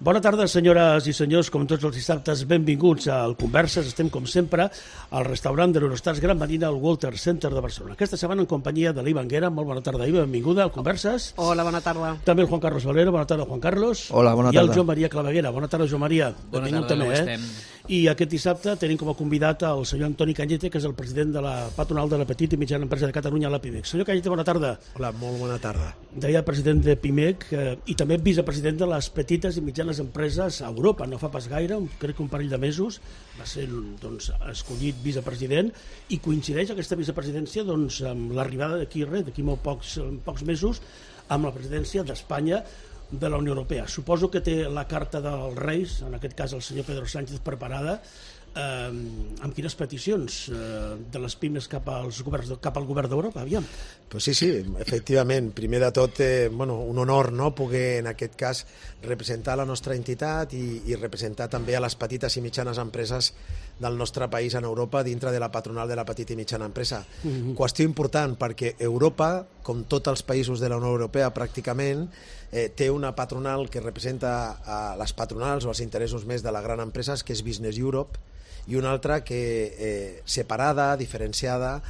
Bona tarda, senyores i senyors, com tots els dissabtes, benvinguts al Converses. Estem, com sempre, al restaurant de l'Eurostars Gran Medina al Walter Center de Barcelona. Aquesta setmana en companyia de l'Iva Anguera. Molt bona tarda, Iva, benvinguda al Converses. Hola, bona tarda. També el Juan Carlos Valero. Bona tarda, Juan Carlos. Hola, bona tarda. I el Joan Maria Claveguera. Bona tarda, Joan Maria. Bona tarda, com estem? I aquest dissabte tenim com a convidat el senyor Antoni Cañete, que és el president de la patronal de la petita i mitjana empresa de Catalunya, la PIMEC. Senyor Cañete, bona tarda. Hola, molt bona tarda. Deia president de PIMEC i també vicepresident de les petites i mitjanes empreses a Europa. No fa pas gaire, crec que un parell de mesos, va ser escollit vicepresident i coincideix aquesta vicepresidència amb l'arribada d'aquí molt pocs mesos amb la presidència d'Espanya de la Unió Europea. Suposo que té la carta dels Reis, en aquest cas el senyor Pedro Sánchez, preparada. Amb quines peticions de les pimes cap al govern d'Europa? Aviam. Pues sí, efectivament. Primer de tot, un honor, no?, poder, en aquest cas, representar la nostra entitat i representar també a les petites i mitjanes empreses del nostre país en Europa dintre de la patronal de la petita i mitjana empresa. Qüestió important, perquè Europa, com tots els països de la Unió Europea pràcticament, té una patronal que representa a les patronals o els interessos més de les grans empreses, que és Business Europe, i una altra que separada, diferenciada,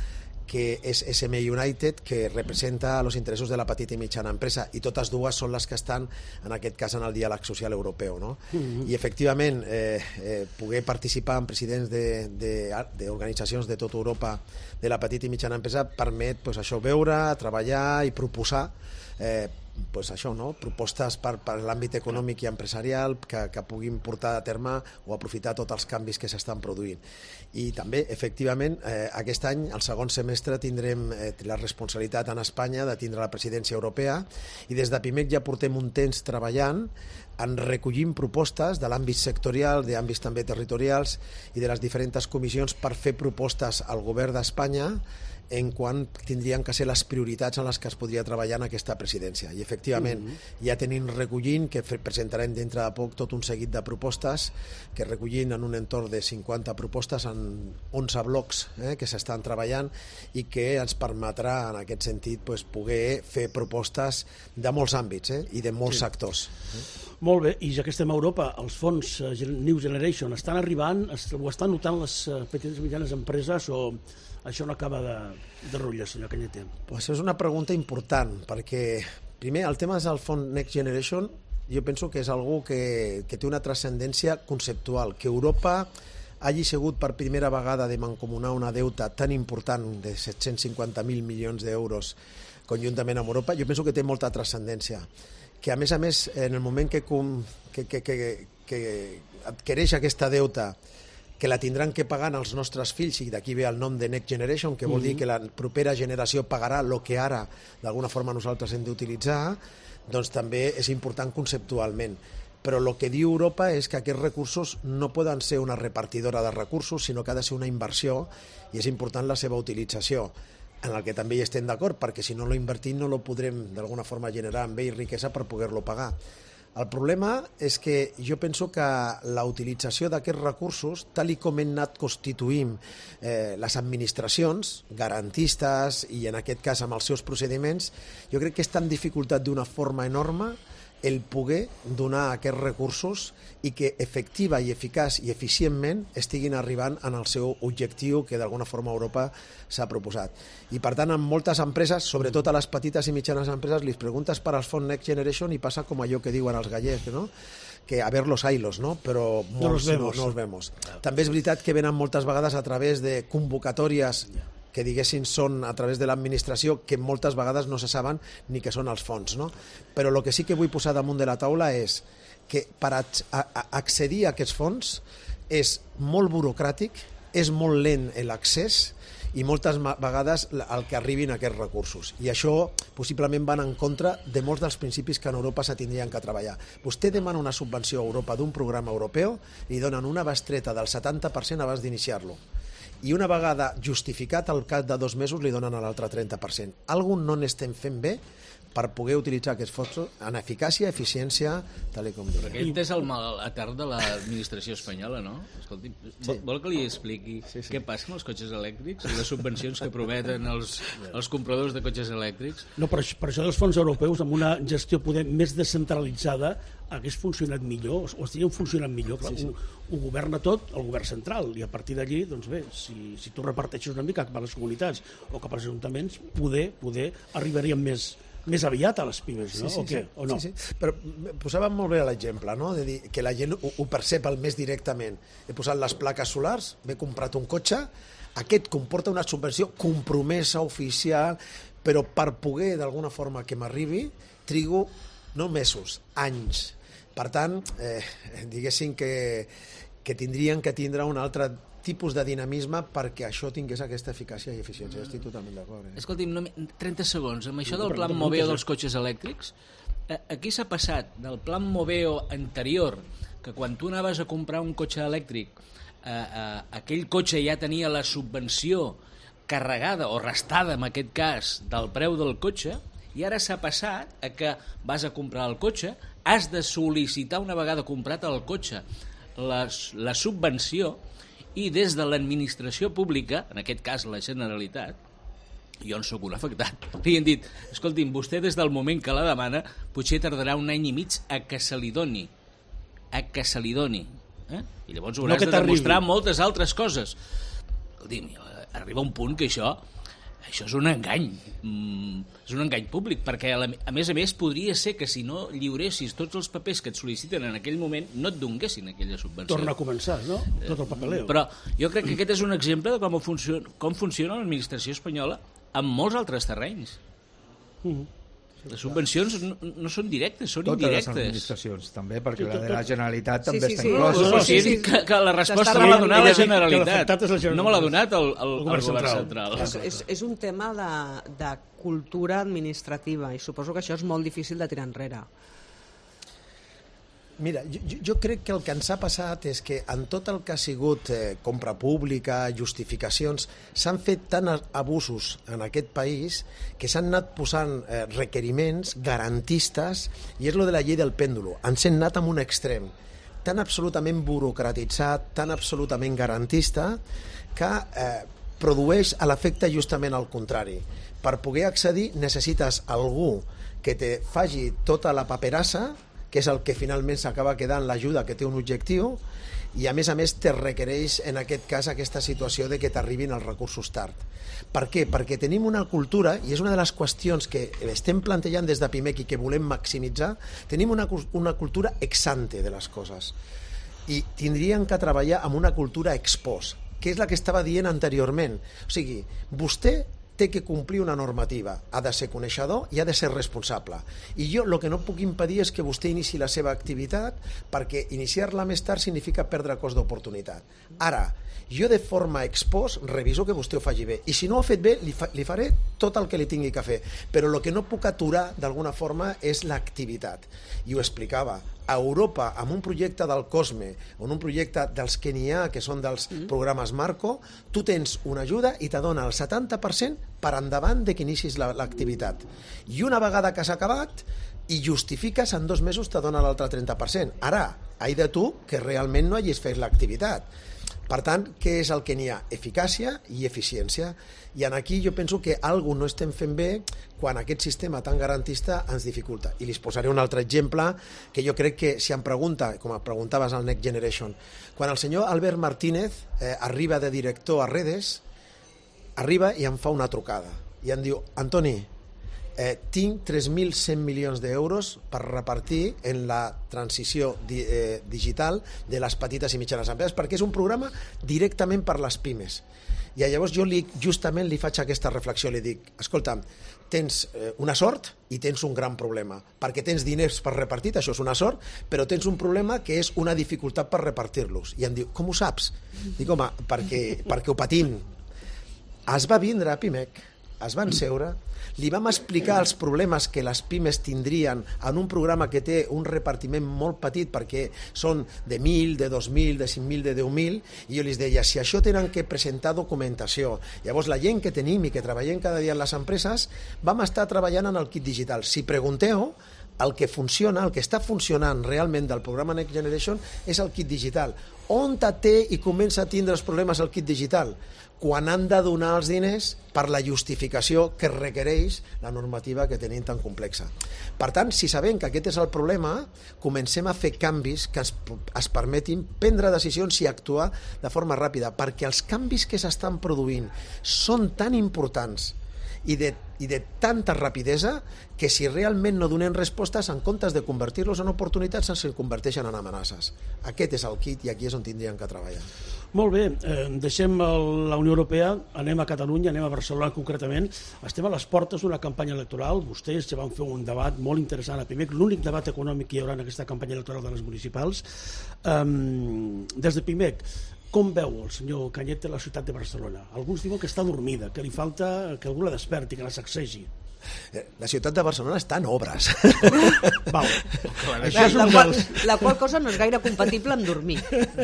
que és SM United, que representa els interessos de la petita i mitjana empresa, i totes dues són les que estan, en aquest cas, en el diàleg social europeu, no? I, efectivament, poder participar en presidents d'organitzacions de tota Europa de la petita i mitjana empresa permet això, veure, treballar i proposar propostes per l'àmbit econòmic i empresarial que puguin portar a terme o aprofitar tots els canvis que s'estan produint. I també, efectivament, aquest any, el segon semestre, tindrem la responsabilitat en Espanya de tindre la presidència europea, i des de PIMEC ja portem un temps treballant en recollim propostes de l'àmbit sectorial, d'àmbits també territorials i de les diferents comissions per fer propostes al govern d'Espanya en quan tindrien que ser les prioritats en les que es podria treballar en aquesta presidència. I, efectivament, ja tenim recollint, que presentarem dintre de poc tot un seguit de propostes, que recollint en un entorn de 50 propostes en 11 blocs que s'estan treballant i que ens permetrà, en aquest sentit, poder fer propostes de molts àmbits i de molts sectors. Molt bé, i ja que estem a Europa, els fons New Generation estan arribant, ho estan notant les petites i mitjanes empreses, o això no acaba de rotllar, senyor Cañete? Pues és una pregunta important, perquè primer el tema del fons Next Generation jo penso que és algo que té una transcendència conceptual, que Europa hagi sigut per primera vegada de mancomunar una deuta tan important de 750.000 milions d'euros conjuntament amb Europa, jo penso que té molta transcendència, que a més, en el moment que adquireix aquesta deuta, que la tindran que pagar els nostres fills, i d'aquí ve el nom de Next Generation, que vol dir que la propera generació pagarà el que ara d'alguna forma nosaltres hem d'utilitzar, doncs també és important conceptualment. Però el que diu Europa és que aquests recursos no poden ser una repartidora de recursos, sinó que ha de ser una inversió, i és important la seva utilització, en el que també hi estem d'acord, perquè si no lo invertim no lo podrem d'alguna forma generar amb ell riquesa per poder-lo pagar. El problema és que jo penso que la utilització d'aquests recursos, tal com hem anat constituint les administracions garantistes i en aquest cas amb els seus procediments, jo crec que està en dificultat d'una forma enorme el poder donar aquests recursos i que efectiva i eficaç i eficientment estiguin arribant en el seu objectiu que d'alguna forma Europa s'ha proposat. I per tant, en moltes empreses, sobretot a les petites i mitjanes empreses, li preguntes per als fons Next Generation i passa com allò que diuen els gallecs, no?, que a ver los ailos, no? Però molts no els vemos. També és veritat que venen moltes vegades a través de convocatòries que diguéssim són a través de l'administració, que moltes vegades no se saben ni què són els fons, no? Però el que sí que vull posar damunt de la taula és que per accedir a aquests fons és molt burocràtic, és molt lent l'accés i moltes vegades el que arribin aquests recursos. I això possiblement van en contra de molts dels principis que en Europa se tindrien que treballar. Vostè demana una subvenció a Europa d'un programa europeu i donen una bestreta del 70% abans d'iniciar-lo. I una vegada justificat al cap de 2 mesos li donen a l'altre 30%. Algú no n'estem fent bé per poder utilitzar aquests fons en eficàcia, eficiència, tal com diu. Aquest és el mal etern de l'administració espanyola, no? Escolti, vol que li expliqui què passa amb els cotxes elèctrics i les subvencions que prometen els compradors de cotxes elèctrics? No, per això dels fons europeus, amb una gestió poder més descentralitzada, hagués funcionat millor, o estiguen funcionant millor. Clar, ho governa tot el govern central, i a partir d'allí, doncs bé, si tu reparteixes una mica cap a les comunitats o cap als ajuntaments, poder arribaríem més aviat a les pimes, no? O no? Sí. Però posàvem molt bé l'exemple, no? De dir que la gent ho percep el més directament. He posat les plaques solars, m'he comprat un cotxe, aquest comporta una subvenció compromesa, oficial, però per poder d'alguna forma que m'arribi, trigo no mesos, anys. Per tant, diguéssim que tindrien que tindre un altre tipus de dinamisme perquè això tingués aquesta eficàcia i eficiència. Estic totalment d'acord. Escolti'm, 30 segons. Amb això del Plan Moveo dels cotxes elèctrics, aquí s'ha passat del Plan Moveo anterior, que quan tu anaves a comprar un cotxe elèctric, aquell cotxe ja tenia la subvenció carregada o restada, en aquest cas, del preu del cotxe, i ara s'ha passat a que vas a comprar el cotxe, has de sol·licitar una vegada comprat el cotxe la subvenció, i des de l'administració pública, en aquest cas la Generalitat, jo en soc un afectat, li han dit, escolti'm, vostè des del moment que la demana potser tardarà 1 any i mig a que se li doni. I llavors hauràs de demostrar moltes altres coses. Escolti'm, arriba un punt que això és un engany, és un engany públic, perquè a més podria ser que si no lliuressis tots els papers que et sol·liciten en aquell moment no et donguessin aquella subvenció. Torna a començar, no? Tot el papeleo. Però jo crec que aquest és un exemple de com funciona l'administració espanyola en molts altres terrenys. Les subvencions no són directes, són indirectes. Totes les administracions, també, perquè la de la Generalitat també està inclosa. Que la resposta me l'ha donat la Generalitat, no me l'ha donat el govern central. És un tema de cultura administrativa i suposo que això és molt difícil de tirar enrere. Mira, jo crec que el que ens ha passat és que en tot el que ha sigut compra pública, justificacions, s'han fet tant abusos en aquest país que s'han anat posant requeriments garantistes, i és lo de la llei del pèndulo. Ens hem anat amb un extrem tan absolutament burocratitzat, tan absolutament garantista, que produeix l'efecte justament al contrari. Per poder accedir necessites algú que te faci tota la paperassa, que és el que finalment s'acaba quedant l'ajuda que té un objectiu, i a més te requereix en aquest cas aquesta situació de que t'arribin els recursos tard. Per què? Perquè tenim una cultura, i és una de les qüestions que estem plantejant des de PIMEC i que volem maximitzar, tenim una cultura ex ante de les coses, i tindríem que treballar amb una cultura ex post, que és la que estava dient anteriorment. O sigui, vostè té que complir una normativa, ha de ser coneixedor i ha de ser responsable. I jo el que no puc impedir és que vostè inici la seva activitat, perquè iniciar-la més tard significa perdre cost d'oportunitat. Ara, jo de forma ex post reviso que vostè ho faci bé, i si no ho ha fet bé li faré tot el que li tingui que fer, però el que no puc aturar d'alguna forma és l'activitat. I ho explicava, a Europa, amb un projecte del COSME, o un projecte dels que n'hi ha, que són dels programes Marco, tu tens una ajuda i te dona el 70% per endavant de que inicis l'activitat. I una vegada que s'ha acabat, i justifiques, en 2 mesos te dona l'altre 30%. Ara, ai de tu que realment no hagis fet l'activitat. Per tant, què és el que n'hi ha? Eficàcia i eficiència. I aquí jo penso que alguna no estem fent bé quan aquest sistema tan garantista ens dificulta. I li posaré un altre exemple que jo crec que si em pregunta, com em preguntaves al Next Generation, quan el senyor Albert Martínez arriba de director a Redes, arriba i em fa una trucada i em diu, Antoni, tinc 3.100 milions d'euros per repartir en la transició digital de les petites i mitjanes empreses, perquè és un programa directament per les pimes. I llavors jo justament li faig aquesta reflexió, li dic, escolta, tens una sort i tens un gran problema, perquè tens diners per repartir, això és una sort, però tens un problema que és una dificultat per repartir-los. I em diu, com ho saps? Dic, home, perquè ho patim. Es va vindre a PIMEC es van seure, li vam explicar els problemes que les pimes tindrien en un programa que té un repartiment molt petit perquè són de 1.000, de 2.000, de 5.000, de 10.000, i jo li deia, si això tenen que presentar documentació, llavors la gent que tenim i que treballem cada dia en les empreses, vam estar treballant en el kit digital. Si pregunteu, el que funciona, el que està funcionant realment del programa Next Generation és el kit digital. On té i comença a tindre els problemes el kit digital? Quan han de donar els diners per la justificació que requereix la normativa que tenim tan complexa. Per tant, si sabem que aquest és el problema, comencem a fer canvis que es permetin prendre decisions i actuar de forma ràpida, perquè els canvis que s'estan produint són tan importants i de tanta rapidesa que si realment no donem respostes, en comptes de convertir-los en oportunitats, se'ls converteixen en amenaces. Aquest és el kit i aquí és on tindrien que treballar. Molt bé, deixem la Unió Europea, anem a Catalunya, anem a Barcelona concretament. Estem a les portes d'una campanya electoral. Vostès ja van fer un debat molt interessant a PIMEC, l'únic debat econòmic que hi haurà en aquesta campanya electoral de les municipals. Des de PIMEC, com veu el senyor Cañete la ciutat de Barcelona? Alguns diuen que està dormida, que li falta que algú la desperti, que la sacsegi. La ciutat de Barcelona està en obres. Val. La qual cosa no és gaire compatible amb dormir.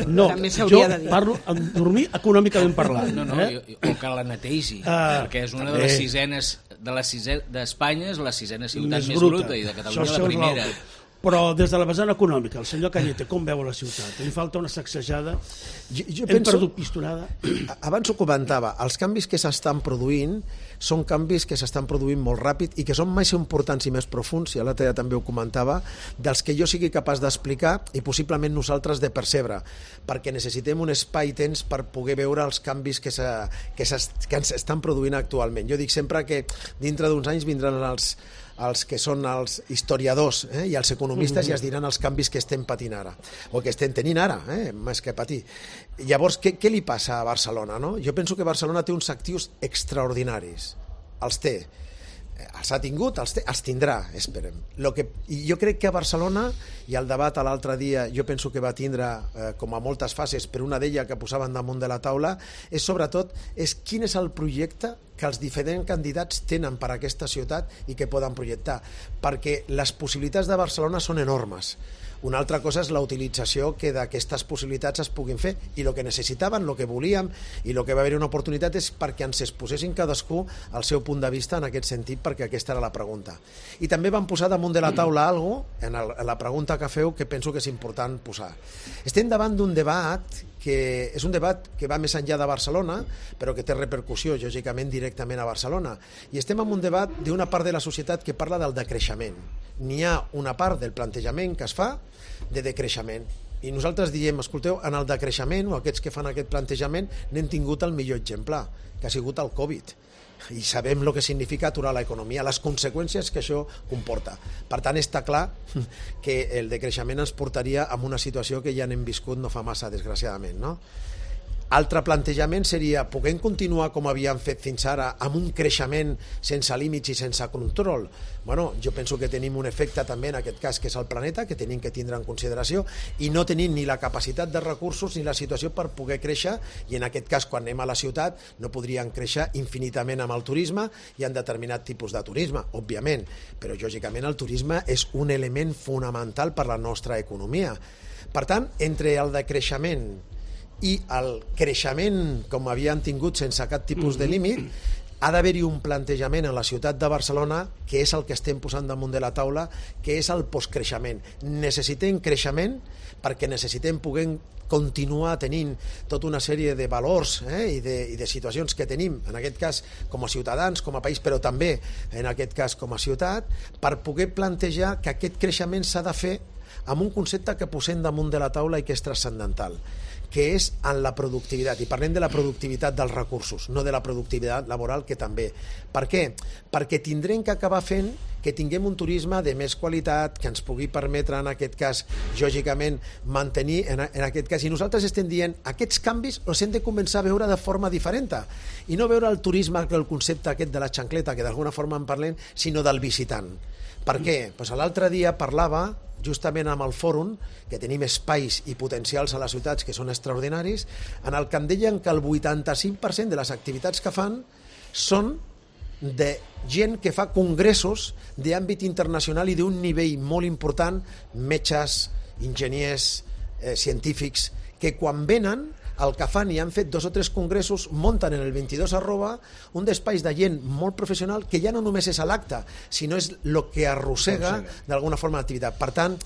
No, també jo s'hauria de dir. parlo amb dormir econòmicament parlant. No, o que la netegi, perquè és una de les sisenes d'Espanya, és la sisena ciutat més bruta i de Catalunya la primera. Però des de la vessant econòmica, el senyor Cañete, com veu la ciutat? Li falta una sacsejada? Jo Hem perdut pistonada? Abans ho comentava, els canvis que s'estan produint són canvis que s'estan produint molt ràpid i que són més importants i més profuns, i l'altre dia també ho comentava, dels que jo sigui capaç d'explicar i possiblement nosaltres de percebre, perquè necessitem un espai-temps per poder veure els canvis que ens estan produint actualment. Jo dic sempre que dintre d'uns anys vindran els que són els historiadors i els economistes i es diran els canvis que estem patint ara, o que estem tenint ara, més que patir. Llavors, què li passa a Barcelona? No? Jo penso que Barcelona té uns actius extraordinaris. Els té. Els ha tingut, els tindrà, esperem. I jo crec que a Barcelona, i el debat l'altre dia jo penso que va tindre com a moltes fases, però una d'elles que posaven damunt de la taula, és sobretot quin és el projecte que els diferents candidats tenen per a aquesta ciutat i que poden projectar, perquè les possibilitats de Barcelona són enormes. Una altra cosa és la utilització que d'aquestes possibilitats es puguin fer, i el que necessitaven, el que volíem i el que va haver una oportunitat és perquè ens exposessin cadascú el seu punt de vista en aquest sentit, perquè aquesta era la pregunta. I també van posar damunt de la taula alguna cosa, en la pregunta que feu, que penso que és important posar. Estem davant d'un debat que és un debat que va més enllà de Barcelona, però que té repercussió, lògicament, directament a Barcelona. I estem en un debat d'una part de la societat que parla del decreixement. N'hi ha una part del plantejament que es fa de decreixement. I nosaltres diem, escolteu, en el decreixement, o aquests que fan aquest plantejament, n'hem tingut el millor exemple, que ha sigut el Covid. I sabem el que significa aturar l'economia, les conseqüències que això comporta. Per tant, està clar que el decreixement ens portaria a una situació que ja n'hem viscut no fa massa, desgraciadament, no? Altre plantejament seria, puguem continuar com havíem fet fins ara amb un creixement sense límits i sense control? Bueno, jo penso que tenim un efecte també en aquest cas, que és el planeta, que tenim que tindre en consideració, i no tenim ni la capacitat de recursos ni la situació per poder créixer, i en aquest cas, quan anem a la ciutat, no podríem créixer infinitament amb el turisme i en determinat tipus de turisme, òbviament, però lògicament el turisme és un element fonamental per la nostra economia. Per tant, entre el decreixement i el creixement com havíem tingut sense cap tipus de límit, ha d'haver-hi un plantejament en la ciutat de Barcelona, que és el que estem posant damunt de la taula, que és el postcreixement. Necessitem creixement perquè necessitem poder continuar tenint tota una sèrie de valors i de situacions que tenim, en aquest cas com a ciutadans, com a país, però també en aquest cas com a ciutat, per poder plantejar que aquest creixement s'ha de fer amb un concepte que posem damunt de la taula i que és transcendental, que és en la productivitat, i parlem de la productivitat dels recursos, no de la productivitat laboral, que també. Per què? Perquè tindrem que acabar fent que tinguem un turisme de més qualitat, que ens pugui permetre, en aquest cas, lògicament, mantenir, en aquest cas, i nosaltres estem dient, aquests canvis els hem de començar a veure de forma diferent, i no veure el turisme, el concepte aquest de la xancleta, que d'alguna forma en parlem, sinó del visitant. Per què? Pues l'altre dia parlava justament amb el fòrum, que tenim espais i potencials a les ciutats que són extraordinaris, en el que em deien que el 85% de les activitats que fan són de gent que fa congressos d'àmbit internacional i d'un nivell molt important, metges, enginyers, científics, que quan venen el que fan, i han fet 2 o 3 congressos, munten en el 22 @ un despatx de gent molt professional que ja no només és a l'acte, sinó és el que arrossega d'alguna forma l'activitat. Per tant,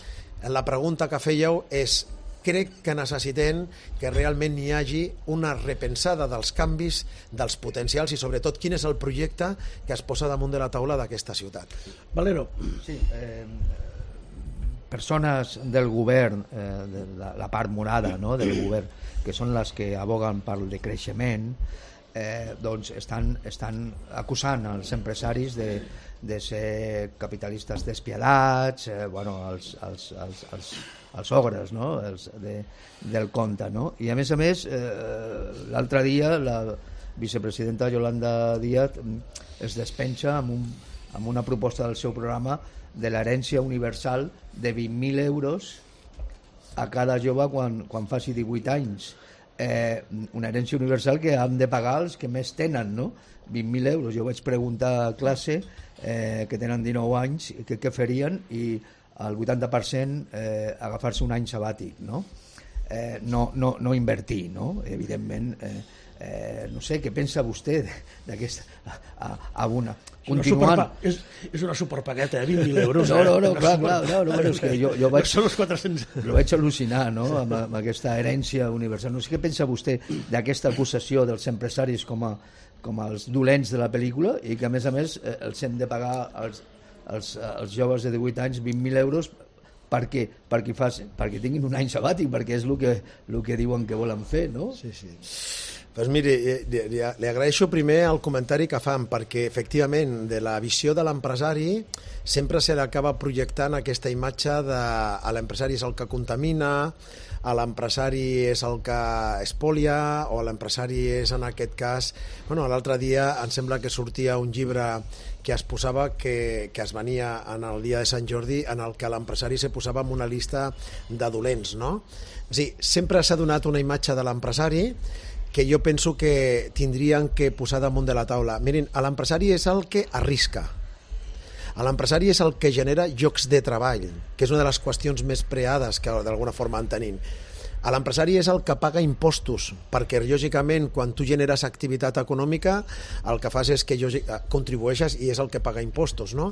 la pregunta que fèieu és: crec que necessitem que realment hi hagi una repensada dels canvis, dels potencials i sobretot quin és el projecte que es posa damunt de la taula d'aquesta ciutat. Valero. Sí, persones del govern, de la part morada, no?, del govern, que són les que aboguen pel decreixement, doncs estan acusant els empresaris de ser capitalistes despiadats, els ogres, no?, del conte, no? I a més, l'altre dia la vicepresidenta Yolanda Díaz es despenja amb una proposta del seu programa de l'herència universal de 20.000 euros a cada jove quan faci 18 anys. Una herència universal que han de pagar els que més tenen, no? 20.000 euros. Jo vaig preguntar a classe que tenen 19 anys què farien, i el 80% agafar-se un any sabàtic, no? No invertir, no? Evidentment, no sé, què pensa vostè d'aquesta... Continuant... És una superpagueta, 20.000 euros. No, clar, és que jo vaig... Són els 400... Jo vaig al·lucinar, no?, amb aquesta herència universal. No sé què pensa vostè d'aquesta acusació dels empresaris com els dolents de la pel·lícula, i que a més els hem de pagar als joves de 18 anys 20.000 euros perquè tinguin un any sabàtic, perquè és el que diuen que volen fer, no? Sí. Doncs miri, li agraeixo primer el comentari que fan, perquè efectivament de la visió de l'empresari sempre se l'acaba projectant aquesta imatge de l'empresari és el que contamina, l'empresari és el que espolia, o l'empresari és en aquest cas... L'altre dia em sembla que sortia un llibre que es posava, que es venia en el dia de Sant Jordi, en el que l'empresari se posava en una llista de dolents, no? És a dir, sempre s'ha donat una imatge de l'empresari que jo penso que tindrien que posar damunt de la taula. Mirin, l'empresari és el que arrisca. L'empresari és el que genera llocs de treball, que és una de les qüestions més preades que d'alguna forma en tenim. L'empresari és el que paga impostos, perquè lògicament quan tu generes activitat econòmica el que fas és que contribueixes i és el que paga impostos, no?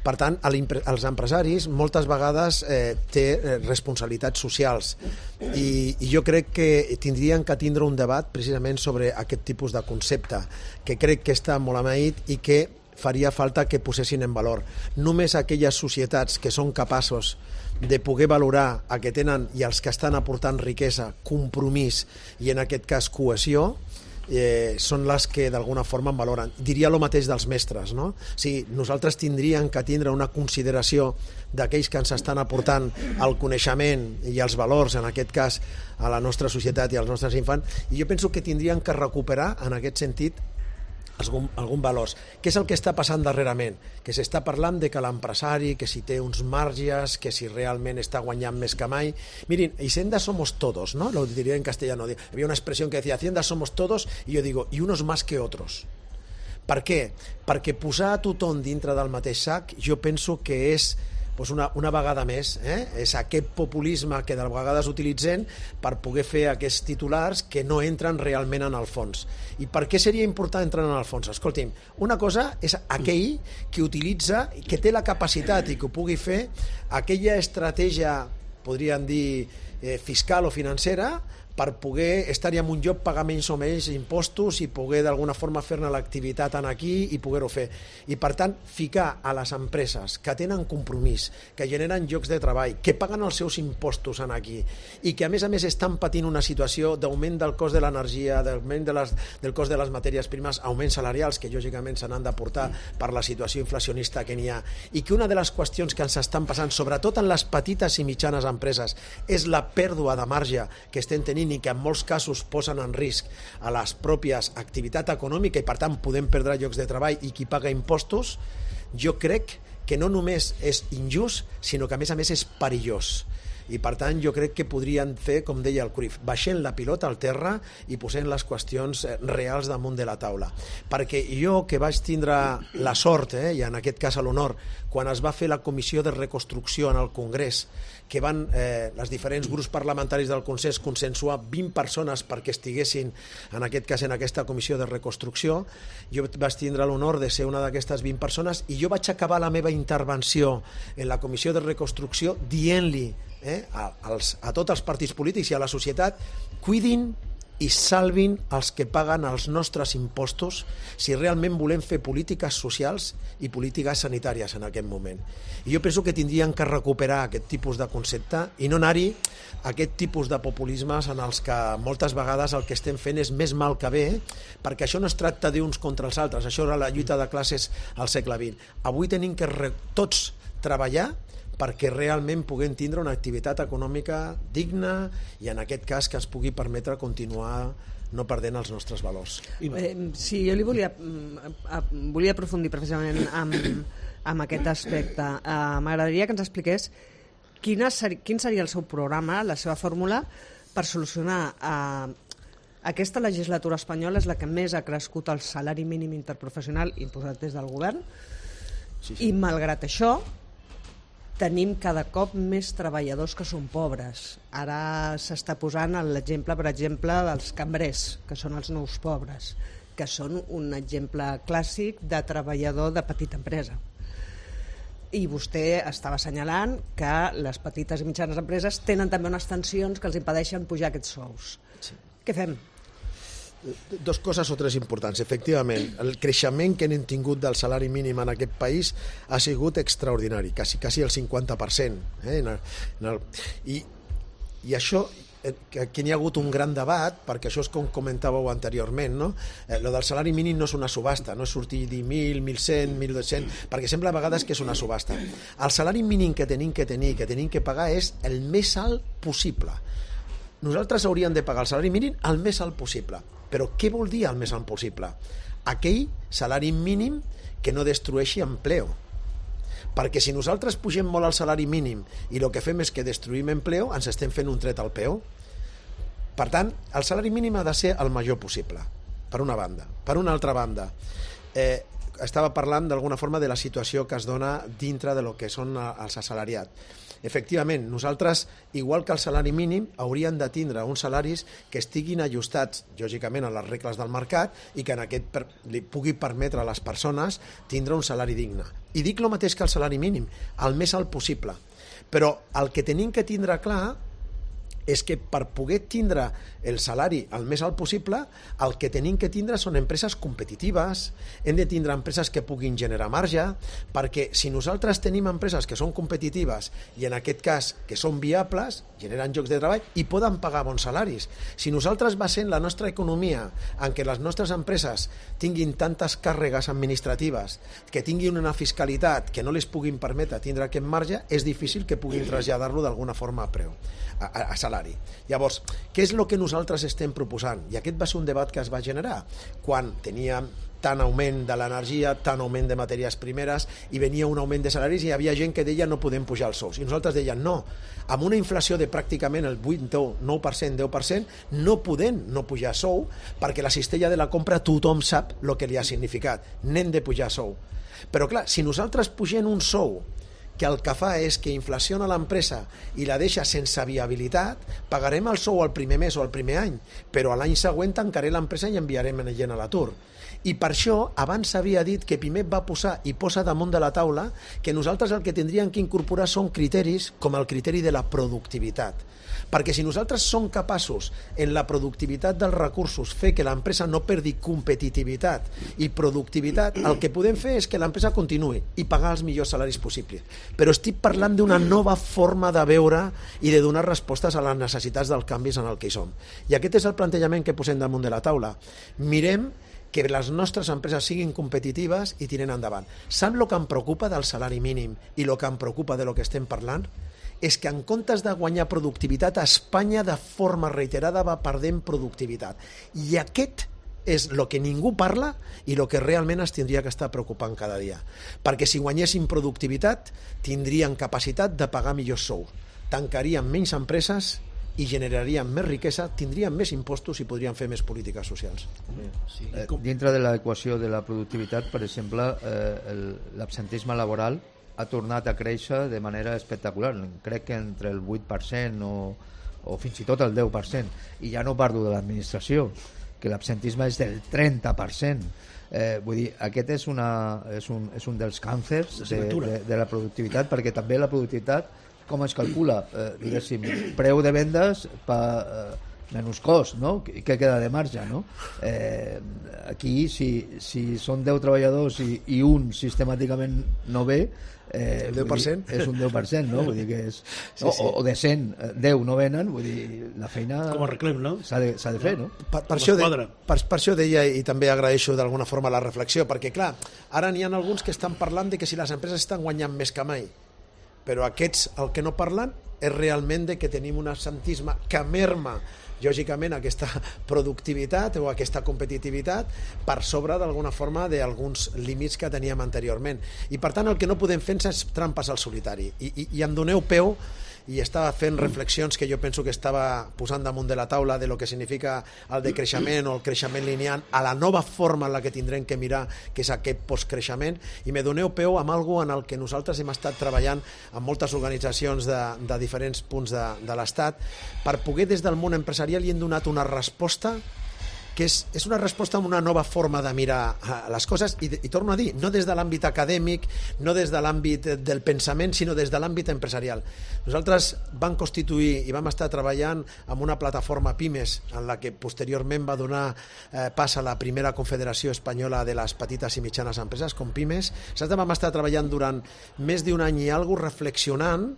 Per tant, els empresaris moltes vegades té responsabilitats socials i jo crec que tindrien que tindre un debat precisament sobre aquest tipus de concepte, que crec que està molt amaït i que faria falta que posessin en valor. Només aquelles societats que són capaços de poder valorar a que tenen i els que estan aportant riquesa, compromís i en aquest cas cohesió, són les que d'alguna forma en valoren. Diria el mateix dels mestres, no? O sigui, nosaltres tindríem que tindre una consideració d'aquells que ens estan aportant el coneixement i els valors, en aquest cas a la nostra societat i als nostres infants, i jo penso que tindrien que recuperar en aquest sentit algun valors. Què és el que està passant darrerament? Que s'està parlant de que l'empresari, que si té uns marges, que si realment està guanyant més que mai. Miren, Hacienda somos todos, ¿no? Lo diría en castellano. Había una expresión que decía, Hacienda somos todos, y yo digo, y unos más que otros. Per què? Perquè posar a tothom dintre del mateix sac jo penso que és una vegada més, és aquest populisme que de vegades utilitzen per poder fer aquests titulars que no entren realment en el fons. I per què seria important entrar en el fons? Escolti'm, una cosa és aquell que utilitza, que té la capacitat i que ho pugui fer, aquella estratègia, podríem dir, fiscal o financera, per poder estar en un lloc, pagar menys o menys impostos i poder d'alguna forma fer-ne l'activitat aquí i poder-ho fer. I per tant, ficar a les empreses que tenen compromís, que generen llocs de treball, que paguen els seus impostos aquí i que a més estan patint una situació d'augment del cost de l'energia, d'augment del cost de les matèries primes, augments salarials que lògicament se n'han d'aportar per la situació inflacionista que n'hi ha, i que una de les qüestions que ens estan passant, sobretot en les petites i mitjanes empreses, és la pèrdua de marge que estem tenint i que en molts casos posen en risc a les pròpies activitat econòmica i per tant podem perdre llocs de treball i qui paga impostos. Jo crec que no només és injust, sinó que a més és perillós. I per tant jo crec que podrien fer, com deia el Cruyff, baixant la pilota al terra i posant les qüestions reals damunt de la taula. Perquè jo, que vaig tindre la sort, i en aquest cas l'honor, quan es va fer la comissió de reconstrucció en el Congrés, que van els diferents grups parlamentaris del Consens consensuar 20 persones perquè estiguessin, en aquest cas, en aquesta comissió de reconstrucció, jo vaig tindre l'honor de ser una d'aquestes 20 persones i jo vaig acabar la meva intervenció en la comissió de reconstrucció dient-li a tots els partits polítics i a la societat: cuidin i salvin els que paguen els nostres impostos si realment volem fer polítiques socials i polítiques sanitàries en aquest moment. I jo penso que tindrien que recuperar aquest tipus de concepte i no anar-hi a aquest tipus de populismes en els que moltes vegades el que estem fent és més mal que bé, perquè això no es tracta d'uns contra els altres, això era la lluita de classes al segle XX. Avui tenim que tots treballar perquè realment puguem tindre una activitat econòmica digna i en aquest cas que ens pugui permetre continuar no perdent els nostres valors. Sí, jo li volia aprofundir precisament amb aquest aspecte. M'agradaria que ens expliqués quin seria el seu programa, la seva fórmula per solucionar aquesta legislatura espanyola és la que més ha crescut el salari mínim interprofessional imposat des del govern i malgrat això tenim cada cop més treballadors que són pobres. Ara s'està posant l'exemple, per exemple, dels cambrers, que són els nous pobres, que són un exemple clàssic de treballador de petita empresa. I vostè estava assenyalant que les petites i mitjanes empreses tenen també unes tensions que els impedeixen pujar aquests sous. Sí. Què fem? Dos coses o tres importants. Efectivament, el creixement que hem tingut del salari mínim en aquest país ha sigut extraordinari, quasi el 50%. I això, que n'hi ha hagut un gran debat, perquè això és com comentàveu anteriorment, no? Lo del salari mínim no és una subhasta, no és sortir dir 1.000, 1.100, 1.200, perquè sembla a vegades que és una subhasta. El salari mínim que tenim que pagar és el més alt possible. Nosaltres hauríem de pagar el salari mínim el més alt possible. Però què vol dir el més alt possible? Aquell salari mínim que no destrueixi empleo. Perquè si nosaltres pugem molt el salari mínim i el que fem és que destruïm empleo, ens estem fent un tret al peu. Per tant, el salari mínim ha de ser el major possible, per una banda. Per una altra banda, estava parlant d'alguna forma de la situació que es dona dintre de lo que són els assalariats. Efectivament, nosaltres, igual que el salari mínim, hauríem de tindre uns salaris que estiguin ajustats, lògicament, a les regles del mercat i que en aquest li pugui permetre a les persones tindre un salari digne. I dic el mateix que el salari mínim, el més alt possible. Però el que tenim que tindre clar és que per poder tindre el salari el més alt possible, el que tenim que tindre són empreses competitives, hem de tindre empreses que puguin generar marge, perquè si nosaltres tenim empreses que són competitives i en aquest cas que són viables, generen llocs de treball i poden pagar bons salaris. Si nosaltres basem la nostra economia en què les nostres empreses tinguin tantes càrregues administratives, que tinguin una fiscalitat que no les puguin permetre tindre aquest marge, és difícil que puguin traslladar-lo d'alguna forma a preu, a salari. Llavors, què és el que nosaltres estem proposant? I aquest va ser un debat que es va generar quan teníem tant augment de l'energia, tant augment de matèries primeres i venia un augment de salaris i hi havia gent que deia no podem pujar els sous. I nosaltres dèiem no, amb una inflació de pràcticament el 8, 9%, 10%, no podem no pujar sou perquè la cistella de la compra tothom sap el que li ha significat. N'hem de pujar sou. Però clar, si nosaltres pugem un sou que el que fa és que inflaciona l'empresa i la deixa sense viabilitat, pagarem el sou el primer mes o el primer any, però a l'any següent tancaré l'empresa i enviarem gent a l'atur. I per això abans s'havia dit que Pimec va posar i posa damunt de la taula que nosaltres el que tindríem que incorporar són criteris com el criteri de la productivitat. Perquè si nosaltres som capaços en la productivitat dels recursos fer que l'empresa no perdi competitivitat i productivitat, el que podem fer és que l'empresa continuï i pagar els millors salaris possibles. Però estic parlant d'una nova forma de veure i de donar respostes a les necessitats dels canvis en el que hi som. I aquest és el plantejament que posem damunt de la taula. Mirem que les nostres empreses siguin competitives i tiren endavant. Sap el que em preocupa del salari mínim i el que em preocupa de lo que estem parlant? És que en comptes de guanyar productivitat, Espanya de forma reiterada va perdent productivitat. I aquest és el que ningú parla i el que realment es tindria que estar preocupant cada dia. Perquè si guanyéssim productivitat, tindrien capacitat de pagar millors sous. tancarien menys empreses i generarien més riquesa, tindrien més impostos i podrien fer més polítiques socials. Dintre de l'equació de la productivitat, per exemple, l'absentisme laboral ha tornat a créixer de manera espectacular. Crec que entre el 8% o fins i tot el 10%. I ja no parlo de l'administració, que l'absentisme és del 30%. Vull dir, aquest és un dels càncers de la productivitat, perquè també la productivitat com es calcula, diguéssim, preu de vendes menys cost, no? Què queda de marge, no? Aquí, si són 10 treballadors i un sistemàticament no ve, el 10%? És un 10%, no? Vull dir que és... O de 100, 10 no venen, vull dir, la feina... Com a reclem, no? S'ha de fer, no? Per això deia, i també agraeixo d'alguna forma la reflexió, perquè, clar, ara n'hi ha alguns que estan parlant de que si les empreses estan guanyant més que mai, però aquests el que no parlen és realment de que tenim un absentisme que merma lògicament aquesta productivitat o aquesta competitivitat per sobre d'alguna forma d'alguns límits que teníem anteriorment. I per tant el que no podem fer és trampes al solitari. I em doneu peu i estava fent reflexions que jo penso que estava posant damunt de la taula de lo que significa el decreixement o el creixement lineal a la nova forma en la que tindrem que mirar, que és aquest postcreixement, i me doneu peu amb algo en el que nosaltres hem estat treballant amb moltes organitzacions de diferents punts de l'Estat per poder des del món empresarial hi hem donat una resposta que és una resposta a una nova forma de mirar les coses i torno a dir, no des de l'àmbit acadèmic, no des de l'àmbit del pensament, sinó des de l'àmbit empresarial. Nosaltres vam constituir i vam estar treballant amb una plataforma Pimes en la que posteriorment va donar pas a la primera Confederació Espanyola de les Petites i Mitjanes Empreses, com Pimes. Nosaltres vam estar treballant durant més d'un any i alguna cosa reflexionant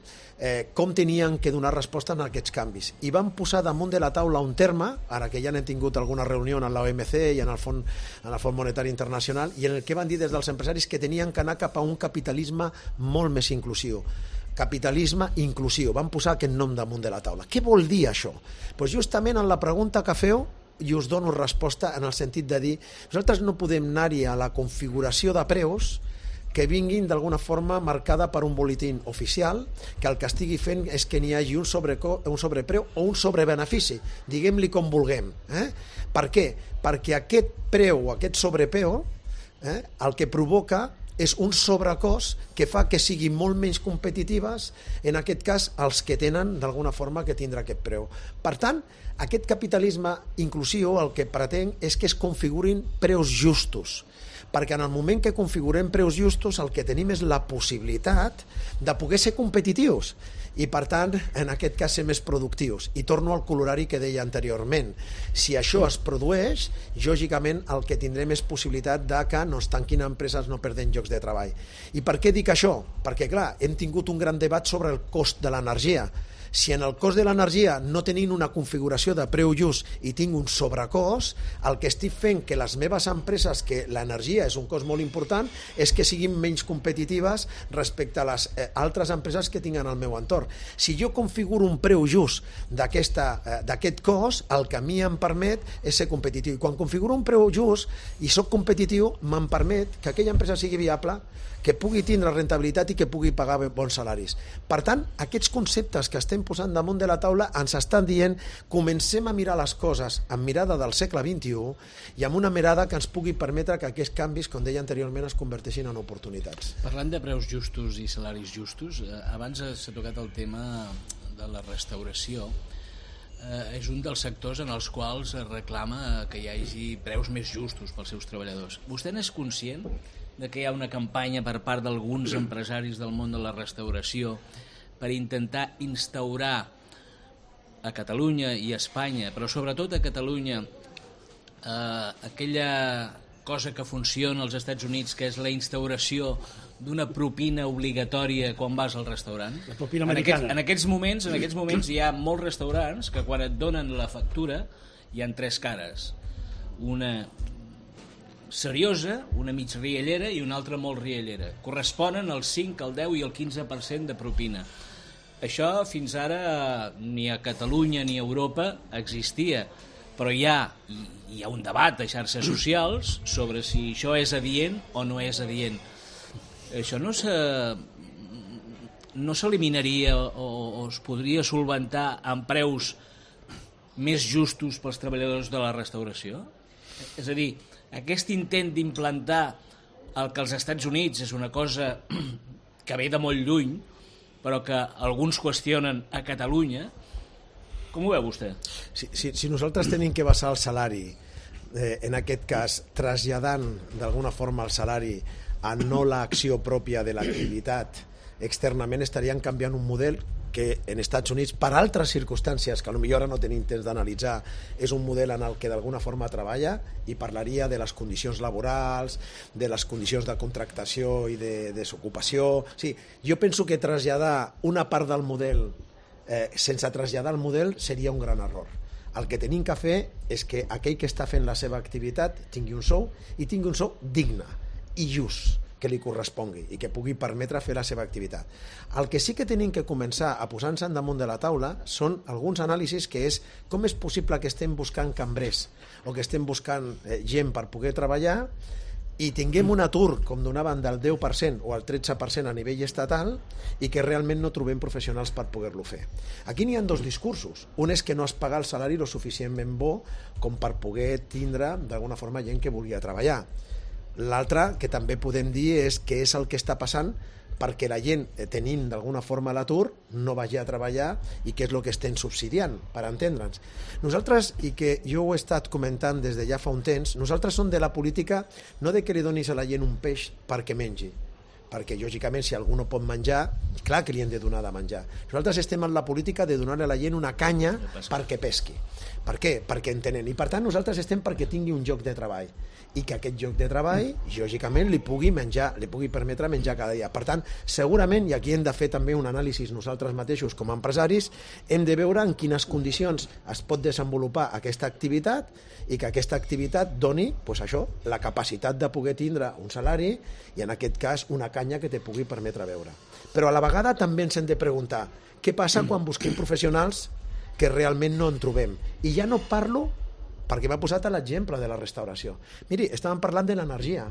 com tenien que donar resposta a aquests canvis. I vam posar damunt de la taula un terme, ara que ja n'hem tingut alguna reunió en l'OMC i en el Fons Monetari Internacional, i en el que van dir des dels empresaris que tenien que anar cap a un capitalisme molt més inclusiu. Capitalisme inclusiu. Van posar aquest nom damunt de la taula. Què vol dir això? Pues justament en la pregunta que feu i us dono resposta en el sentit de dir nosaltres no podem anar-hi a la configuració de preus que vinguin d'alguna forma marcada per un boletín oficial que el que estigui fent és que n'hi hagi un sobrepreu o un sobrebenefici, diguem-li com vulguem. Per què? Perquè aquest preu o aquest sobrepreu el que provoca és un sobrecost que fa que siguin molt menys competitives, en aquest cas, els que tenen d'alguna forma que tindrà aquest preu. Per tant, aquest capitalisme inclusiu el que pretén és que es configurin preus justos, perquè en el moment que configurem preus justos el que tenim és la possibilitat de poder ser competitius i per tant en aquest cas ser més productius. I torno al colorari que deia anteriorment, si això es produeix lògicament el que tindrem és possibilitat de que no es tanquin empreses, no perden llocs de treball. I per què dic això? Perquè clar, hem tingut un gran debat sobre el cost de l'energia. Si en el cost de l'energia no tenim una configuració de preu just i tinc un sobrecost, el que estic fent que les meves empreses, que l'energia és un cost molt important, és que siguin menys competitives respecte a les altres empreses que tinc en el meu entorn. Si jo configuro un preu just d'aquest cost, el que a mi em permet és ser competitiu. I quan configuro un preu just i soc competitiu, me'n permet que aquella empresa sigui viable, que pugui tindre rentabilitat i que pugui pagar bons salaris. Per tant, aquests conceptes que estem posant damunt de la taula ens estan dient comencem a mirar les coses amb mirada del segle XXI i amb una mirada que ens pugui permetre que aquests canvis, com deia anteriorment, es converteixin en oportunitats. Parlant de preus justos i salaris justos, abans s'ha tocat el tema de la restauració. És un dels sectors en els quals es reclama que hi hagi preus més justos pels seus treballadors. Vostè n'és conscient de que hi ha una campanya per part d'alguns empresaris del món de la restauració per intentar instaurar a Catalunya i a Espanya, però sobretot a Catalunya, aquella cosa que funciona als Estats Units, que és la instauració d'una propina obligatòria quan vas al restaurant? La propina americana. En aquests moments hi ha molts restaurants que quan et donen la factura hi ha tres cares. Una seriosa, una mig riallera i una altra molt riallera. Corresponen al 5, al 10 i al 15% de propina. Això fins ara ni a Catalunya ni a Europa existia, però hi ha un debat a xarxes socials sobre si això és adient o no és adient. Això no no s'eliminaria o es podria solventar amb preus més justos pels treballadors de la restauració? És a dir, aquest intent d'implantar el que als Estats Units és una cosa que ve de molt lluny, però que alguns qüestionen a Catalunya, com ho veu vostè? Si nosaltres tenim que basar el salari, en aquest cas, traslladant d'alguna forma el salari a no l'acció pròpia de l'activitat, externament estaríem canviant un model que en Estats Units, per altres circumstàncies que potser ara no tenim temps d'analitzar, és un model en el que d'alguna forma treballa i parlaria de les condicions laborals, de les condicions de contractació i de desocupació. Sí, jo penso que traslladar una part del model sense traslladar el model seria un gran error. El que tenim que fer és que aquell que està fent la seva activitat tingui un sou i tingui un sou digne i just, que li correspongui i que pugui permetre fer la seva activitat. El que sí que tenim que començar a posar-nos damunt de la taula són alguns anàlisis que és com és possible que estem buscant cambrers o que estem buscant gent per poder treballar i tinguem un atur, com donaven, del 10% o el 13% a nivell estatal i que realment no trobem professionals per poder-lo fer. Aquí n'hi ha dos discursos. Un és que no es paga el salari lo suficientment bo com per poder tindre d'alguna forma gent que volia treballar. L'altre, que també podem dir, és què és el que està passant perquè la gent, tenint d'alguna forma l'atur, no vagi a treballar i què és el que estem subsidiant, per entendre'ns. Nosaltres, i que jo ho he estat comentant des de ja fa un temps, nosaltres som de la política no de que li donis a la gent un peix perquè mengi, perquè lògicament si algú no pot menjar, clar que li hem de donar de menjar. Nosaltres estem en la política de donar a la gent una canya perquè pesqui. Per què? Perquè en tenen. I per tant nosaltres estem perquè tingui un lloc de treball i que aquest lloc de treball, lògicament, li pugui permetre menjar cada dia. Per tant, segurament, i aquí hem de fer també un anàlisi nosaltres mateixos com a empresaris, hem de veure en quines condicions es pot desenvolupar aquesta activitat i que aquesta activitat doni, doncs això, la capacitat de poder tindre un salari i en aquest cas una canya que te pugui permetre veure. Però a la vegada també ens hem de preguntar què passa quan busquem professionals que realment no en trobem. I ja no parlo perquè m'ha posat l'exemple de la restauració. Miri, estàvem parlant de l'energia.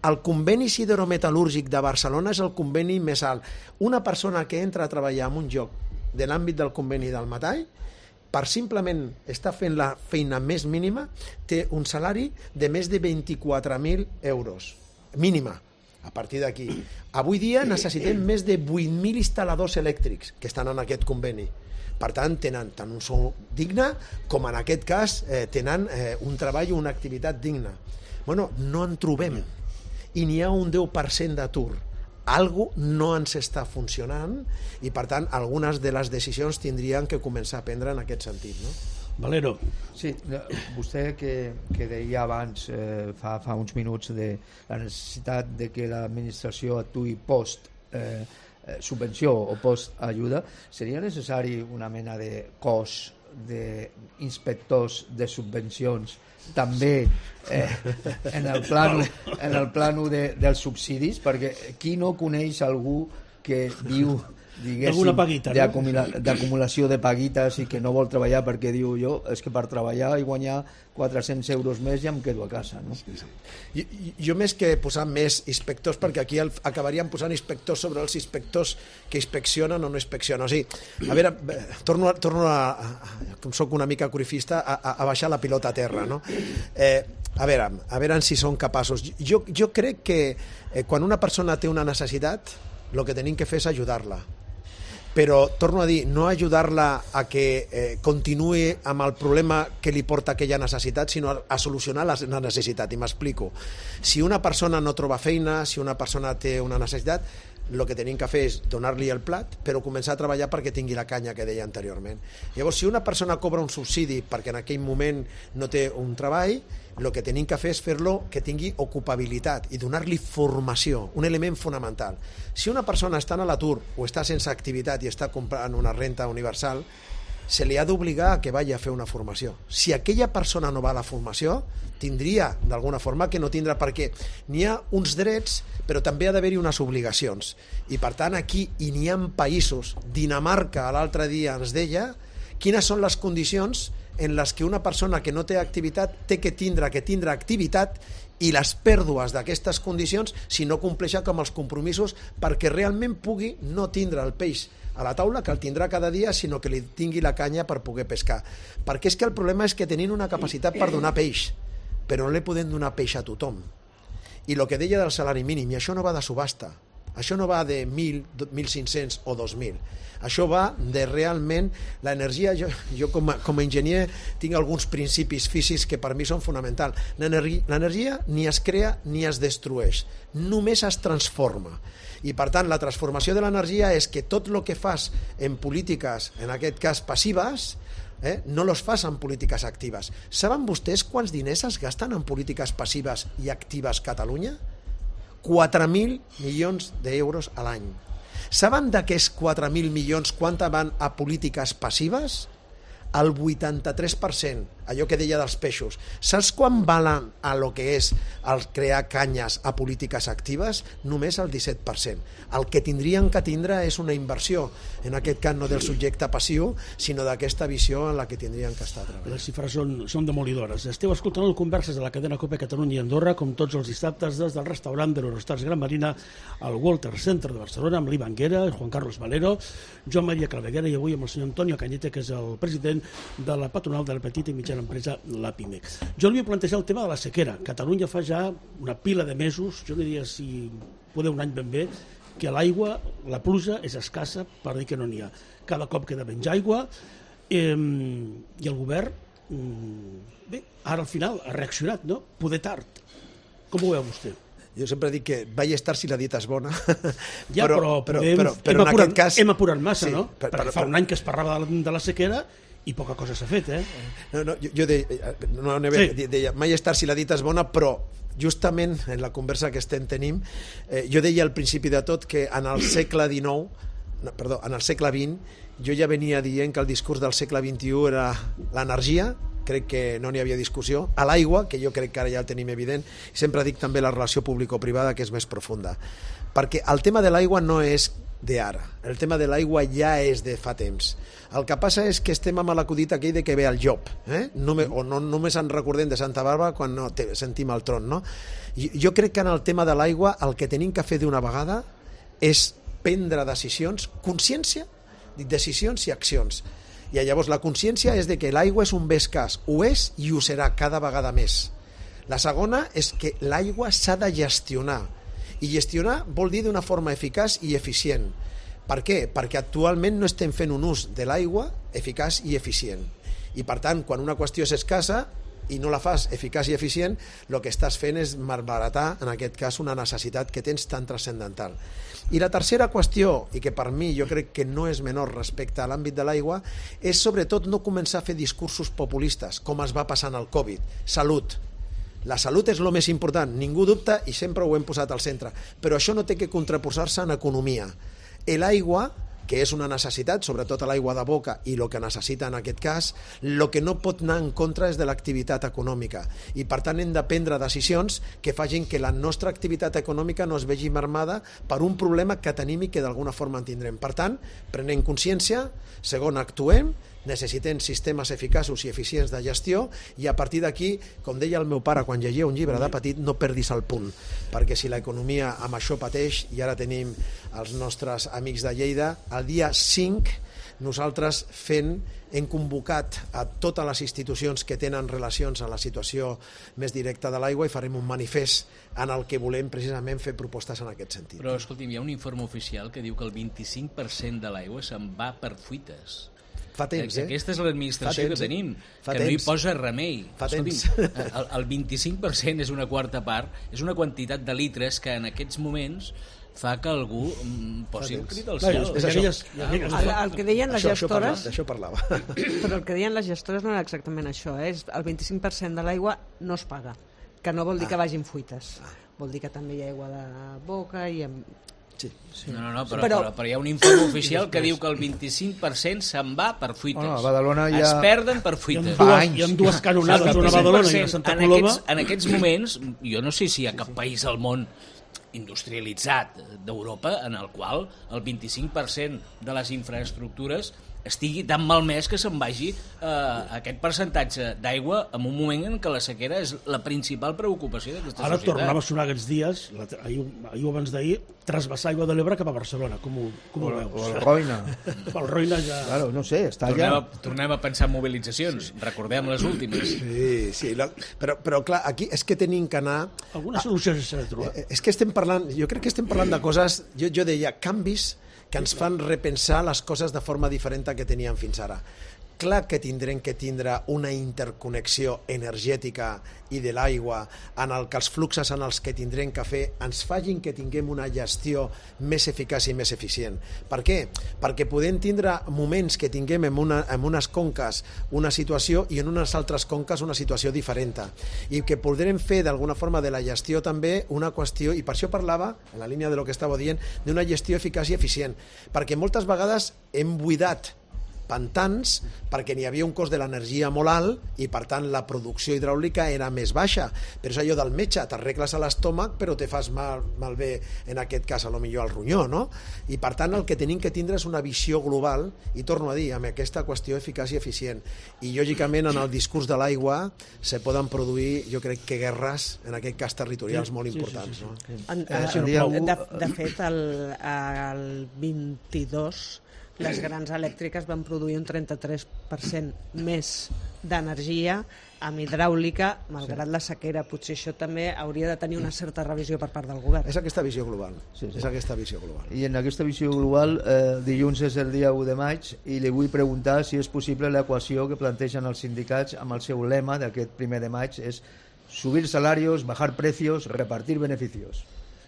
El conveni siderometal·lúrgic de Barcelona és el conveni més alt. Una persona que entra a treballar en un lloc de l'àmbit del conveni del metall, per simplement estar fent la feina més mínima, té un salari de més de 24.000 euros. Mínima. A partir d'aquí. Avui dia necessitem més de 8.000 instal·ladors elèctrics que estan en aquest conveni. Per tant, tenen tant un sou digne com en aquest cas tenen un treball o una activitat digna. Bueno, no en trobem i n'hi ha un 10% d'atur. Algo no ens està funcionant i per tant algunes de les decisions tindrien que començar a prendre en aquest sentit, no? Valero. Sí, vostè que deia abans, fa uns minuts, de la necessitat de que l'administració actuï post subvenció o post-ajuda, seria necessari una mena de cos d'inspectors de subvencions també en el plano dels subsidis, perquè qui no coneix algú que viu d'acumulació de paguites i que no vol treballar perquè diu jo és que per treballar i guanyar 400 euros més ja em quedo a casa, no? Jo més que posar més inspectors, perquè aquí acabaríem posant inspectors sobre els inspectors que inspeccionen o no inspeccionen. O sigui, a veure, torno com soc una mica corifista, a baixar la pilota a terra, no? A veure si són capaços. Jo crec que quan una persona té una necessitat, el que tenim que fer és ajudar-la. Però, torno a dir, no ajudar-la a que continuï amb el problema que li porta aquella necessitat, sinó a solucionar la necessitat, i m'explico. Si una persona no troba feina, si una persona té una necessitat, el que tenim que fer és donar-li el plat, però començar a treballar perquè tingui la canya que deia anteriorment. Llavors, si una persona cobra un subsidi perquè en aquell moment no té un treball, el que tenim que fer és fer-lo que tingui ocupabilitat i donar-li formació, un element fonamental. Si una persona està a l'atur o està sense activitat i està comprant una renta universal, se li ha d'obligar a que vagi a fer una formació. Si aquella persona no va a la formació, tindria d'alguna forma que no tindrà, perquè n'hi ha uns drets però també ha d'haver-hi unes obligacions. I per tant aquí n'hi ha països, Dinamarca l'altre dia ens deia quines són les condicions en les que una persona que no té activitat té que tindre activitat, i les pèrdues d'aquestes condicions si no compleixen amb els compromisos perquè realment pugui no tindre el peix a la taula, que el tindrà cada dia, sinó que li tingui la canya per poder pescar. Perquè és que el problema és que tenim una capacitat per donar peix, però no li podem donar peix a tothom. I el que deia del salari mínim, i això no va de subhasta, això no va de 1.000, 1.500 o 2.000. Això va de realment l'energia. Jo com a enginyer tinc alguns principis físics que per mi són fonamentals. L'energia ni es crea ni es destrueix, només es transforma. I per tant la transformació de l'energia és que tot el que fas en polítiques, en aquest cas passives, no los fas en polítiques actives. Saben vostès quants diners es gasten en polítiques passives i actives a Catalunya? 4.000 milions d'euros a l'any. Saben d'aquests 4.000 milions quanta van a polítiques passives? El 83%, allò que deia dels peixos. Saps quan valen a lo que és el crear canyes a polítiques actives? Només el 17%. El que tindrien que tindre és una inversió, en aquest cas no del subjecte passiu, sinó d'aquesta visió en la que tindrien que estar treballant. Les xifres són demolidores. Esteu escoltant el Converses de la cadena COPE Catalunya i Andorra, com tots els dissabtes, des del restaurant de l'Eurostars Gran Marina al Walter Center de Barcelona, amb l'Ivan Guera, Juan Carlos Valero, Joan Maria Claveguera i avui amb el senyor Antonio Cañete, que és el president de la patronal de la petita i mitjana empresa, la PIMEC. Jo li vull plantejar el tema de la sequera. Catalunya fa ja una pila de mesos, jo no diria si poder un any ben bé, que l'aigua, la pluja és escassa, per dir que no n'hi ha. Cada cop queda menys aigua i el govern, bé, ara al final ha reaccionat, no? Poder tard. Com ho veu vostè? Jo sempre dic que vaig estar si la dieta és bona. Ja, però en aquest cas... hem apurat massa, sí, no? Perquè fa un any que es parlava de la sequera i poca cosa s'ha fet, jo deia, mai estar si la dita és bona, però justament en la conversa que estem tenim, jo deia al principi de tot que en el segle XX jo ja venia dient que el discurs del segle XXI era l'energia, crec que no n'hi havia discussió, a l'aigua, que jo crec que ara ja el tenim evident, i sempre dic també la relació público-privada, que és més profunda. Perquè el tema de l'aigua no és d'ara, el tema de l'aigua ja és de fa temps. El que passa és que estem amb l'acudit aquell de que ve el llop, o no només ens recordem de Santa Bàrbara quan no sentim el tron, no? Jo crec que en el tema de l'aigua el que tenim que fer d'una vegada és prendre decisions, consciència, decisions i accions. I llavors la consciència és de que l'aigua és un bé escàs, ho és i ho serà cada vegada més. La segona és que l'aigua s'ha de gestionar, i gestionar vol dir d'una forma eficaç i eficient. Per què? Perquè actualment no estem fent un ús de l'aigua eficaç i eficient. I per tant, quan una qüestió és escassa i no la fas eficaç i eficient, el que estàs fent és malbaratar, en aquest cas, una necessitat que tens tan transcendental. I la tercera qüestió, i que per mi jo crec que no és menor respecte a l'àmbit de l'aigua, és sobretot no començar a fer discursos populistes, com es va passar en el Covid. Salut. La salut és el més important, ningú dubta i sempre ho hem posat al centre, però això no té que contraposar-se en economia. L'aigua, que és una necessitat, sobretot a l'aigua de boca i el que necessita en aquest cas, el que no pot anar en contra és de l'activitat econòmica i per tant hem de prendre decisions que facin que la nostra activitat econòmica no es vegi mermada per un problema que tenim i que d'alguna forma en tindrem. Per tant, prenem consciència, segon, actuem, necessitem sistemes eficaços i eficients de gestió i a partir d'aquí, com deia el meu pare quan llegia un llibre de petit, no perdis el punt, perquè si l'economia amb això pateix, i ara tenim els nostres amics de Lleida, el dia 5 nosaltres hem convocat a totes les institucions que tenen relacions a la situació més directa de l'aigua i farem un manifest en el que volem precisament fer propostes en aquest sentit. Però escolti'm, hi ha un informe oficial que diu que el 25% de l'aigua se'n va per fuites. Fa temps, Aquesta és l'administració que tenim, que no hi posa remei. El 25% és una quarta part, és una quantitat de litres que en aquests moments fa que algú posi el crit al cel. El que deien les gestores... D'això parlava. Però el que deien les gestores no era exactament això, el 25% de l'aigua no es paga, que no vol dir que vagin fuites, vol dir que també hi ha aigua de boca i... Sí. No, però hi ha un informe oficial que diu que el 25% se'n va per fuites. A Badalona ja... Es perden per fuites. Hi ha dues canonades, una a Badalona i a Santa Coloma. En aquests moments, jo no sé si hi ha cap país al món industrialitzat d'Europa en el qual el 25% de les infraestructures estigui tan malmès que se'n vagi aquest percentatge d'aigua en un moment en què la sequera és la principal preocupació d'aquesta societat. Ara tornava a sonar aquests dies, ahir o abans d'ahir, trasbassar Aigua de l'Ebre cap a Barcelona. Com ho veus? O el Roina. El Roina ja... Claro, no sé, està allà. Tornem a pensar en mobilitzacions. Recordem les últimes. Sí, però clar, aquí és que tenim que anar... Alguna solució s'ha de trobar. És que estem parlant, jo crec que estem parlant de coses, jo deia, canvis que ens fan repensar les coses de forma diferent que teníem fins ara. Clar que tindrem que tindre una interconnexió energètica i de l'aigua en el que els fluxos en els que tindrem que fer ens facin que tinguem una gestió més eficaç i més eficient. Per què? Perquè podem tindre moments que tinguem en unes conques una situació i en unes altres conques una situació diferent. I que podrem fer d'alguna forma de la gestió també una qüestió, i per això parlava, en la línia de lo que estava dient, d'una gestió eficaç i eficient. Perquè moltes vegades hem buidat pantans perquè n'hi havia un cost de l'energia molt alt i per tant la producció hidràulica era més baixa, però és allò del metge, t'arregles a l'estómac però te fas malbé en aquest cas a lo millor al ronyó, no? I per tant el que tenim que tindre és una visió global i torno a dir, amb aquesta qüestió eficaç i eficient, i lògicament en el discurs de l'aigua se poden produir, jo crec que guerres en aquest cas territorials molt importants, no? De fet el 22 les grans elèctriques van produir un 33% més d'energia amb hidràulica, malgrat la sequera. Potser això també hauria de tenir una certa revisió per part del govern. És aquesta visió global. És aquesta visió global. I en aquesta visió global, dilluns és el dia 1 de maig i li vull preguntar si és possible l'equació que plantegen els sindicats amb el seu lema d'aquest 1 de maig, és subir salarios, bajar precios, repartir beneficios.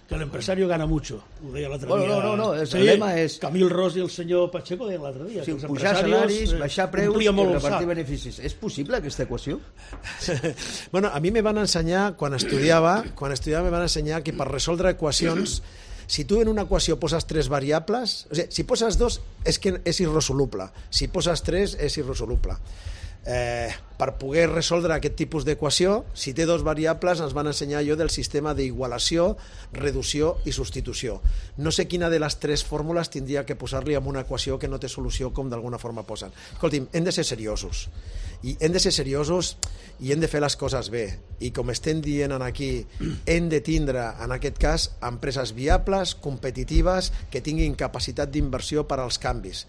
Que el empresario gana mucho, ho deia l'altre dia. No, el lema és... Camil Ros i el senyor Pacheco deien l'altre dia. Sí, pujar salaris, baixar preus i repartir beneficis. És possible aquesta equació? Bueno, a mi me van ensenyar, quan estudiava me van ensenyar que per resoldre equacions, si tu en una equació poses 3 variables, o sigui, si poses 2 és que és irresoluble, si poses 3 és irresoluble. Per poder resoldre aquest tipus d'equació, si té 2 variables, ens van ensenyar allò del sistema d'igualació, reducció i substitució. No sé quina de les 3 fórmules tindria que posar-li en una equació que no té solució, com d'alguna forma posen. Escolti'm, hem de ser seriosos. I hem de ser seriosos i hem de fer les coses bé. I com estem dient aquí, hem de tindre, en aquest cas, empreses viables, competitives, que tinguin capacitat d'inversió per als canvis,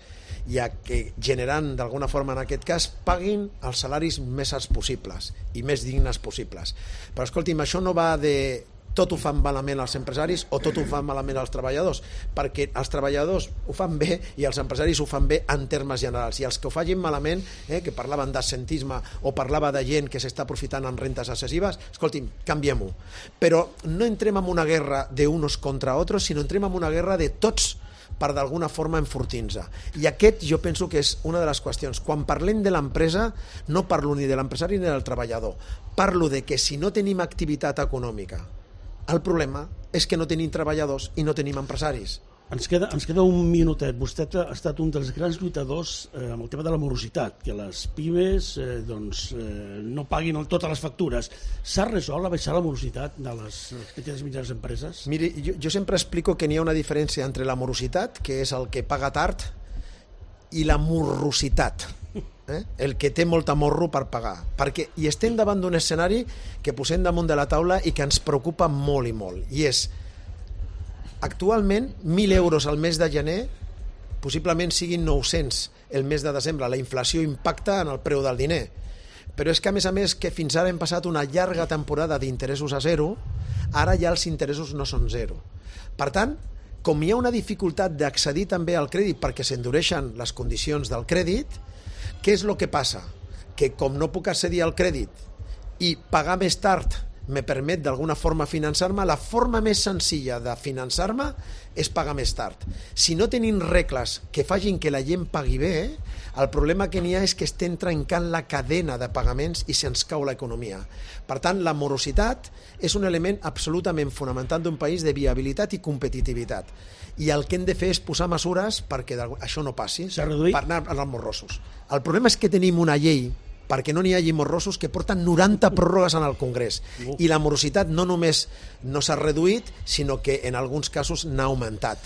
i que generant d'alguna forma en aquest cas paguin els salaris més alts possibles i més dignes possibles. Però escolti'm, això no va de tot ho fan malament els empresaris o tot ho fan malament els treballadors, perquè els treballadors ho fan bé i els empresaris ho fan bé en termes generals, i els que ho facin malament, que parlaven d'assentisme o parlava de gent que s'està aprofitant en rentes excessives, escolti'm, canviem-ho. Però no entrem en una guerra d'unos contra otros, sinó entrem en una guerra de tots per d'alguna forma enfortir-nos. I aquest jo penso que és una de les qüestions. Quan parlem de l'empresa, no parlo ni de l'empresari ni del treballador. Parlo de que si no tenim activitat econòmica, el problema és que no tenim treballadors i no tenim empresaris. Ens queda un minutet. Vostè ha estat un dels grans lluitadors amb el tema de la morositat, que les pimes no paguin totes les factures. S'ha resolt a baixar la morositat de les petites i mitjanes empreses? Miri, jo sempre explico que n'hi ha una diferència entre la morositat, que és el que paga tard, i la morrositat, el que té molta morro per pagar. I estem davant d'un escenari que posem damunt de la taula i que ens preocupa molt i molt, i és: actualment 1.000 euros al mes de gener possiblement siguin 900 el mes de desembre. La inflació impacta en el preu del diner, però és que a més que fins ara hem passat una llarga temporada d'interessos a zero, ara ja els interessos no són zero. Per tant, com hi ha una dificultat d'accedir també al crèdit perquè s'endureixen les condicions del crèdit, què és el que passa? Que com no puc accedir al crèdit i pagar més tard me permet d'alguna forma finançar-me, la forma més senzilla de finançar-me és pagar més tard. Si no tenim regles que facin que la gent pagui bé, el problema que n'hi ha és que estem trencant la cadena de pagaments i se'ns cau l'economia. Per tant, la morositat és un element absolutament fonamental d'un país de viabilitat i competitivitat. I el que hem de fer és posar mesures perquè això no passi, per anar als morrosos. El problema és que tenim una llei perquè no n'hi hagi morrosos que porten 90 pròrrogues en el Congrés. I la morositat no només no s'ha reduït, sinó que en alguns casos n'ha augmentat.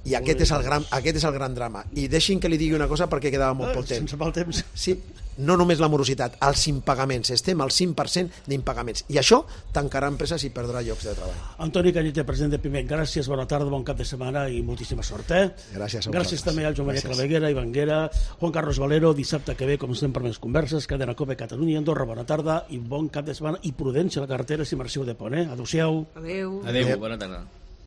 I aquest és el gran drama. I deixin que li digui una cosa perquè quedava molt poc temps. Sense mal temps. Sí, no només la morositat, els impagaments. Estem al 5% d'impagaments. I això tancarà empreses i perdrà llocs de treball. Antoni Cañete, president de Pimec, gràcies, bona tarda, bon cap de setmana i moltíssima sort. Gràcies a vosaltres. Gràcies també al Joan Maria Claveguera, Ivan Guera, Juan Carlos Valero, dissabte que ve, com sempre, més converses, Cadena Cope Catalunya, Andorra, bona tarda i bon cap de setmana i prudència a la carretera si marxeu de pont. Adéu-siau. Adéu. Adéu, bona tarda.